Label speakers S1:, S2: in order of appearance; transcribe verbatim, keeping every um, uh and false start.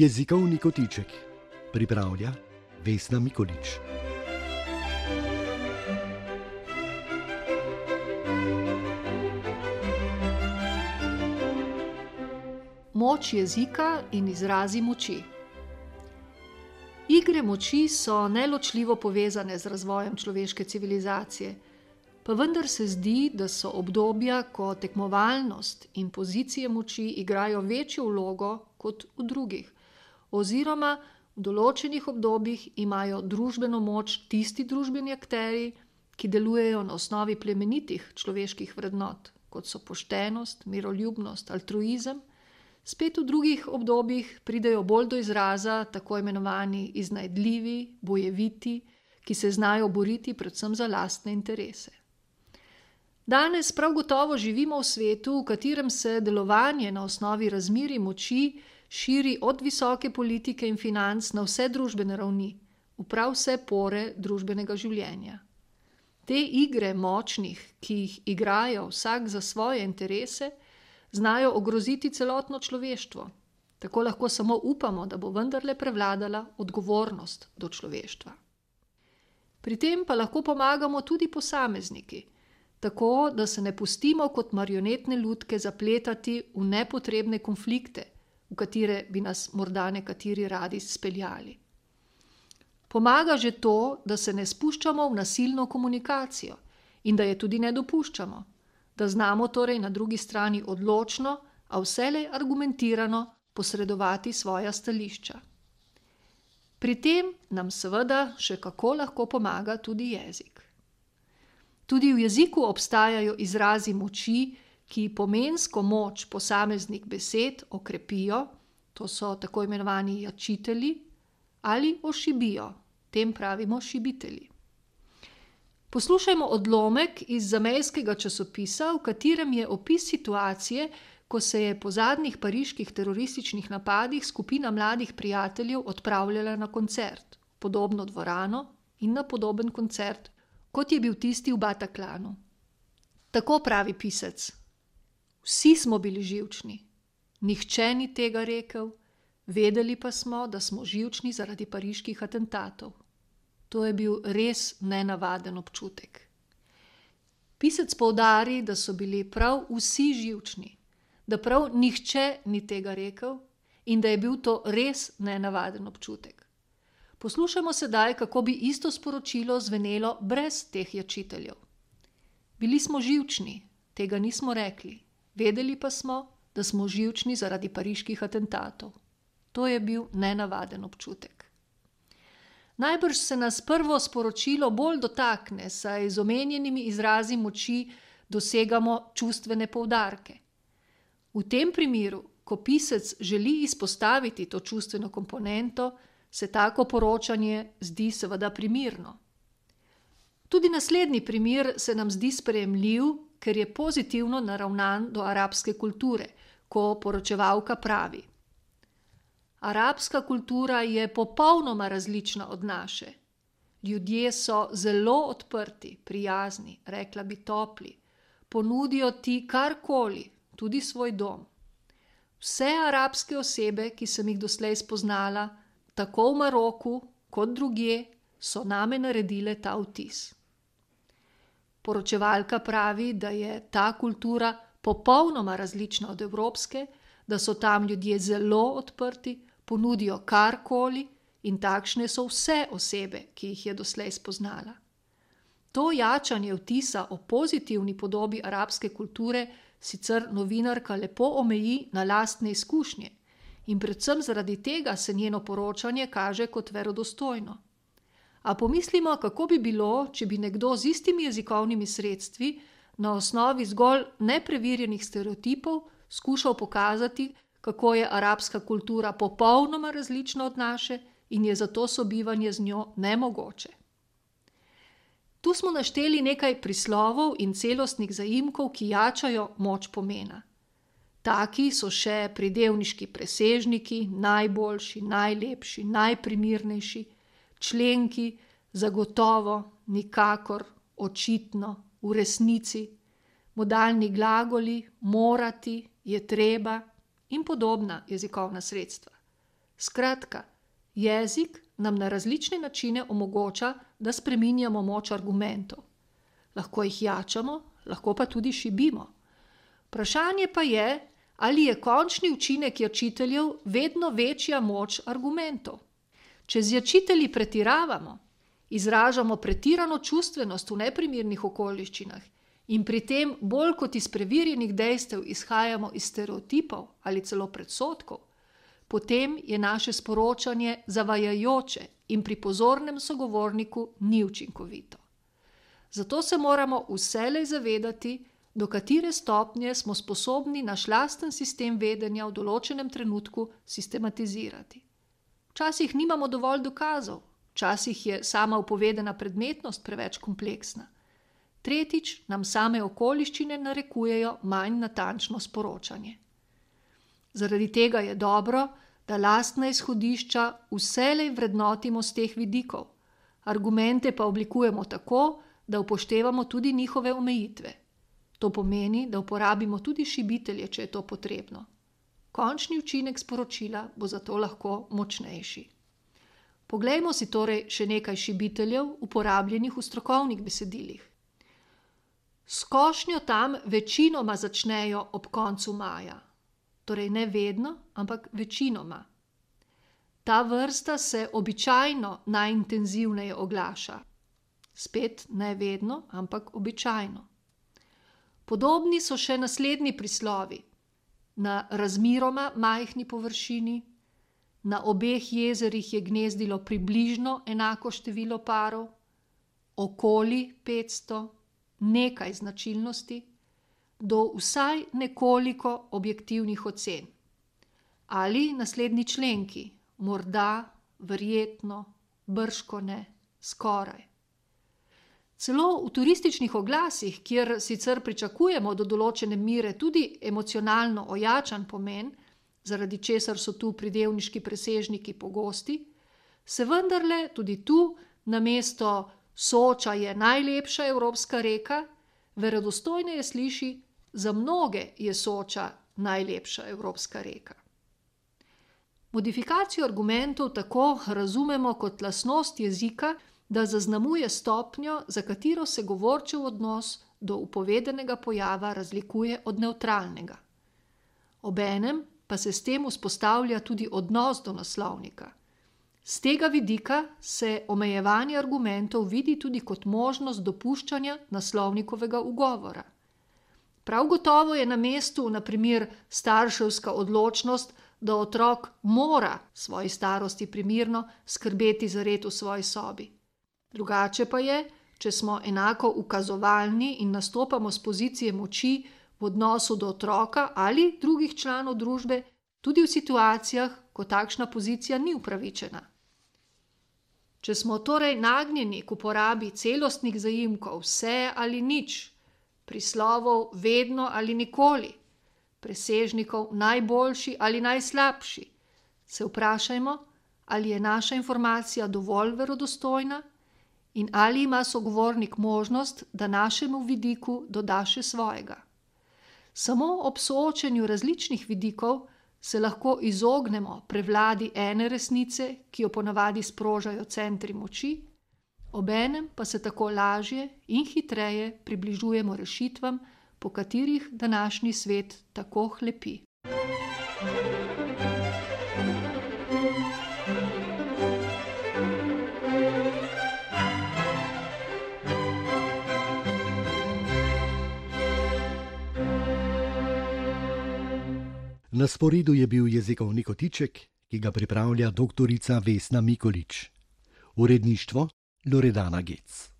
S1: Jezikovni kotiček pripravlja Vesna Mikolič.
S2: Moč jezika in izrazi moči. Igre moči so neločljivo povezane z razvojem človeške civilizacije, pa vendar se zdi, da so obdobja, ko tekmovalnost in pozicije moči igrajo večjo vlogo kot v drugih, oziroma v določenih obdobjih imajo družbeno moč tisti družbeni akterji, ki delujejo na osnovi plemenitih človeških vrednot, kot so poštenost, miroljubnost, altruizem. Spet v drugih obdobjih pridejo bolj do izraza tako imenovani iznajdljivi, bojeviti, ki se znajo boriti predvsem za lastne interese. Danes prav gotovo živimo v svetu, v katerem se delovanje na osnovi razmerij moči širi od visoke politike in financ na vse družbene ravni, v prav vse pore družbenega življenja. Te igre močnih, ki jih igrajo vsak za svoje interese, znajo ogroziti celotno človeštvo. Tako lahko samo upamo, da bo vendarle prevladala odgovornost do človeštva. Pri tem pa lahko pomagamo tudi posamezniki, tako da se ne pustimo kot marionetne lutke zapletati v nepotrebne konflikte, v katere bi nas morda nekateri radi speljali. Pomaga že to, da se ne spuščamo v nasilno komunikacijo in da je tudi ne dopuščamo, da znamo torej na drugi strani odločno, a vselej argumentirano posredovati svoja stališča. Pri tem nam seveda še kako lahko pomaga tudi jezik. Tudi v jeziku obstajajo izrazi moči, ki pomensko moč posameznih besed okrepijo, to so tako imenovani jačitelji, ali ošibijo, tem pravimo šibitelji. Poslušajmo odlomek iz zamejskega časopisa, v katerem je opis situacije, ko se je po zadnjih pariških terorističnih napadih skupina mladih prijateljev odpravljala na koncert, podobno dvorano in na podoben koncert, kot je bil tisti v Bataclanu. Tako pravi pisec: vsi smo bili živčni, nihče ni tega rekel, vedeli pa smo, da smo živčni zaradi pariških atentatov. To je bil res nenavaden občutek. Pisec poudari, da so bili prav vsi živčni, da prav nihče ni tega rekel in da je bil to res nenavaden občutek. Poslušajmo sedaj, kako bi isto sporočilo zvenelo brez teh jačiteljev. Bili smo živčni, tega nismo rekli, vedeli pa smo, da smo živčni zaradi pariških atentatov. To je bil nenavaden občutek. Najbrž se nas prvo sporočilo bolj dotakne, saj z omenjenimi izrazi moči dosegamo čustvene poudarke. V tem primeru, ko pisec želi izpostaviti to čustveno komponento, se tako poročanje zdi seveda primirno. Tudi naslednji primer se nam zdi sprejemljiv, ker je pozitivno naravnan do arabske kulture, ko poročevalka pravi: arabska kultura je popolnoma različna od naše. Ljudje so zelo odprti, prijazni, rekla bi topli, ponudijo ti karkoli, tudi svoj dom. Vse arabske osebe, ki sem jih doslej spoznala, tako v Maroku kot drugje, so name naredile ta vtis. Poročevalka pravi, da je ta kultura popolnoma različna od evropske, da so tam ljudje zelo odprti, ponudijo karkoli in takšne so vse osebe, ki jih je doslej spoznala. To jačanje vtisa o pozitivni podobi arabske kulture sicer novinarka lepo omeji na lastne izkušnje in predvsem zaradi tega se njeno poročanje kaže kot verodostojno. A pomislimo, kako bi bilo, če bi nekdo z istimi jezikovnimi sredstvi na osnovi zgolj nepreverjenih stereotipov skušal pokazati, kako je arabska kultura popolnoma različna od naše in je zato sobivanje z njo nemogoče. Tu smo našteli nekaj prislovov in celostnih zaimkov, ki jačajo moč pomena. Taki so še pridevniški presežniki, najboljši, najlepši, najprimirnejši, členki, zagotovo, nikakor, očitno, v resnici, modalni glagoli, morati, je treba in podobna jezikovna sredstva. Skratka, jezik nam na različne načine omogoča, da spreminjamo moč argumentov. Lahko jih jačamo, lahko pa tudi šibimo. Vprašanje pa je, ali je končni učinek jačiteljev vedno večja moč argumentov. Če z jačitelji pretiravamo, izražamo pretirano čustvenost v neprimernih okoliščinah in pri tem bolj kot iz preverjenih dejstev izhajamo iz stereotipov ali celo predsodkov, potem je naše sporočanje zavajajoče in pri pozornem sogovorniku ni učinkovito. Zato se moramo vselej zavedati, do katere stopnje smo sposobni naš lasten sistem vedenja v določenem trenutku sistematizirati. Včasih nimamo dovolj dokazov, včasih je sama upovedena predmetnost preveč kompleksna. Tretjič, nam same okoliščine narekujejo manj natančno sporočanje. Zaradi tega je dobro, da lastna izhodišča vselej vrednotimo z teh vidikov, argumente pa oblikujemo tako, da upoštevamo tudi njihove omejitve. To pomeni, da uporabimo tudi šibitelje, če je to potrebno. Končni učinek sporočila bo zato lahko močnejši. Poglejmo si torej še nekaj šibiteljev, uporabljenih v strokovnih besedilih. S košnjo tam večinoma začnejo ob koncu maja. Torej ne vedno, ampak večinoma. Ta vrsta se običajno najintenzivneje oglaša. Spet ne vedno, ampak običajno. Podobni so še naslednji prislovi. Na razmeroma majhni površini, na obeh jezerih je gnezdilo približno enako število parov, okoli petsto, nekaj značilnosti, do vsaj nekoliko objektivnih ocen. Ali naslednji členki, morda, verjetno, bržkone, skoraj. Celo v turističnih oglasih, kjer sicer pričakujemo do določene mere tudi emocionalno ojačan pomen, zaradi česar so tu pridevniški presežniki pogosti, se vendarle tudi tu namesto Soča je najlepša evropska reka, verodostojneje sliši: za mnoge je Soča najlepša evropska reka. Modifikacijo argumentov tako razumemo kot lastnost jezika, da zaznamuje stopnjo, za katero se govorčev odnos do upovedenega pojava razlikuje od nevtralnega. Obenem pa se s tem vzpostavlja tudi odnos do naslovnika. Z tega vidika se omejevanje argumentov vidi tudi kot možnost dopuščanja naslovnikovega ugovora. Prav gotovo je na mestu, na primer, starševska odločnost, da otrok mora svoji starosti primerno skrbeti za red v svoji sobi. Drugače pa je, če smo enako ukazovalni in nastopamo z pozicije moči v odnosu do otroka ali drugih članov družbe, tudi v situacijah, ko takšna pozicija ni upravičena. Če smo torej nagnjeni k uporabi celostnih zaimkov vse ali nič, prislovov vedno ali nikoli, presežnikov najboljši ali najslabši, se vprašajmo, ali je naša informacija dovolj verodostojna in ali ima sogovornik možnost, da našemu vidiku doda še svojega. Samo ob soočenju različnih vidikov se lahko izognemo prevladi ene resnice, ki jo ponavadi sprožajo centri moči, obenem pa se tako lažje in hitreje približujemo rešitvam, po katerih današnji svet tako hlepi.
S1: Na sporedu je bil jezikovni kotiček, ki ga pripravlja doktorica Vesna Mikolič. Uredništvo Loredana Gec.